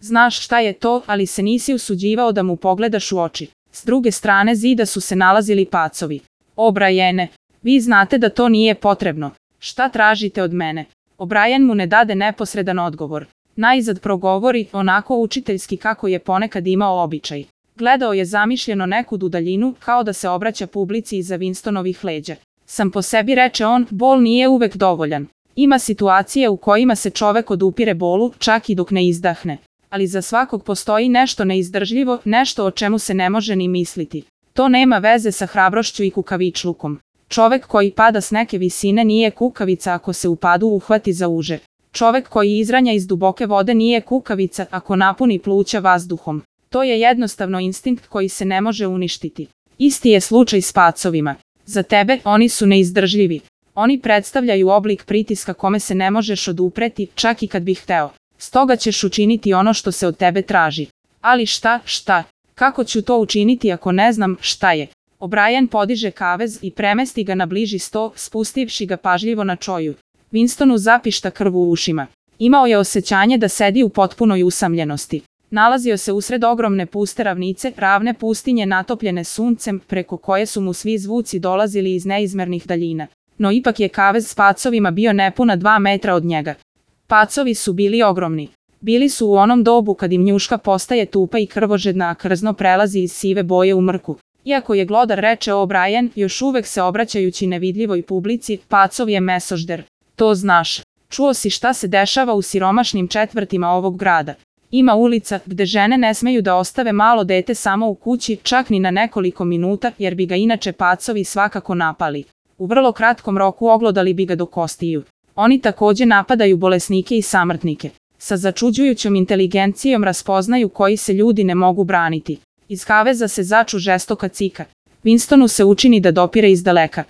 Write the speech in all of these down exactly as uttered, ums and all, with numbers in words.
Znaš šta je to, ali se nisi usuđivao da mu pogledaš u oči. S druge strane zida su se nalazili pacovi. O Briane, vi znate da to nije potrebno. Šta tražite od mene? O'Brien mu ne dade neposredan odgovor. Najzad progovori, onako učiteljski kako je ponekad imao običaj. Gledao je zamišljeno nekud u daljinu, kao da se obraća publici iza Winstonovih leđa. Sam po sebi, reče on, bol nije uvek dovoljan. Ima situacije u kojima se čovek odupire bolu, čak i dok ne izdahne. Ali za svakog postoji nešto neizdržljivo, nešto o čemu se ne može ni misliti. To nema veze sa hrabrošću i kukavičlukom. Čovek koji pada s neke visine nije kukavica ako se u padu uhvati za uže. Čovek koji izranja iz duboke vode nije kukavica ako napuni pluća vazduhom. To je jednostavno instinkt koji se ne može uništiti. Isti je slučaj s pacovima. Za tebe oni su neizdržljivi. Oni predstavljaju oblik pritiska kome se ne možeš odupreti, čak i kad bih hteo. Stoga ćeš učiniti ono što se od tebe traži. Ali šta, šta? Kako ću to učiniti ako ne znam šta je? O'Brien podiže kavez i premesti ga na bliži sto, spustivši ga pažljivo na čoju. Winstonu zapišta krv u ušima. Imao je osjećanje da sedi u potpunoj usamljenosti. Nalazio se usred ogromne puste ravnice, ravne pustinje natopljene suncem, preko koje su mu svi zvuci dolazili iz neizmernih daljina. No ipak je kavez s pacovima bio nepuna dva metra od njega. Pacovi su bili ogromni. Bili su u onom dobu kad im njuška postaje tupa i krvožedna, a krzno prelazi iz sive boje u mrku. Iako je glodar, reče O'Brien, još uvek se obraćajući nevidljivoj publici, pacov je mesožder. To znaš. Čuo si šta se dešava u siromašnim četvrtima ovog grada. Ima ulica gde žene ne smeju da ostave malo dete samo u kući, čak ni na nekoliko minuta, jer bi ga inače pacovi svakako napali. U vrlo kratkom roku oglodali bi ga do kostiju. Oni takođe napadaju bolesnike i samrtnike. Sa začuđujućom inteligencijom raspoznaju koji se ljudi ne mogu braniti. Iz kaveza se začu žestoka cika. Winstonu se učini da dopire iz daleka.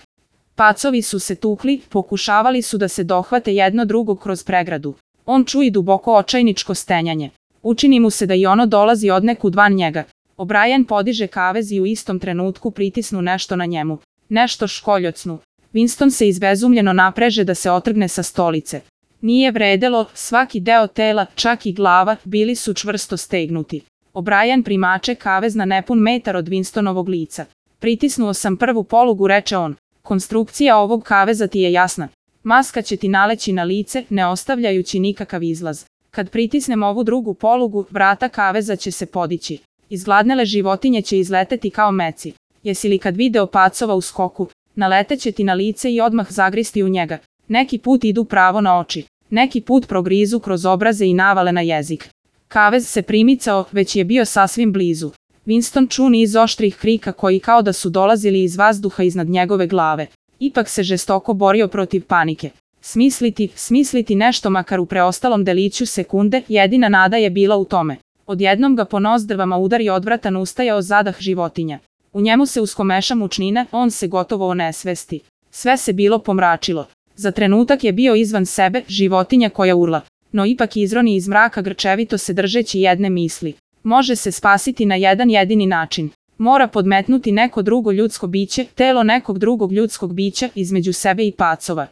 Pacovi su se tukli, pokušavali su da se dohvate jedno drugog kroz pregradu. On čuje duboko očajničko stenjanje. Učini mu se da i ono dolazi odnekud van njega. O'Brien podiže kavez i u istom trenutku pritisnu nešto na njemu. Nešto školjocnu. Winston se izbezumljeno napreže da se otrgne sa stolice. Nije vredelo, svaki deo tela, čak i glava, bili su čvrsto stegnuti. O'Brien primače kavez na nepun metar od Winstonovog lica. Pritisnuo sam prvu polugu, reče on. Konstrukcija ovog kaveza ti je jasna. Maska će ti naleći na lice, ne ostavljajući nikakav izlaz. Kad pritisnem ovu drugu polugu, vrata kaveza će se podići. Izgladnele životinje će izleteti kao meci. Jesi li kad video pacova u skoku? Naleteće ti na lice i odmah zagristi u njega. Neki put idu pravo na oči. Neki put progrizu kroz obraze i navale na jezik. Kavez se primicao, već je bio sasvim blizu. Winston ču niz oštrih krika koji kao da su dolazili iz vazduha iznad njegove glave. Ipak se žestoko borio protiv panike. Smisliti, smisliti nešto makar u preostalom deliću sekunde, jedina nada je bila u tome. Odjednom ga po nozdrvama udari odvratan ustajao zadah životinja. U njemu se uskomeša mučnina, on se gotovo onesvesti. Sve se bilo pomračilo. Za trenutak je bio izvan sebe, životinja koja urla. No ipak izroni iz mraka grčevito se držeći jedne misli. Može se spasiti na jedan jedini način. Mora podmetnuti neko drugo ljudsko biće, telo nekog drugog ljudskog bića između sebe i pacova.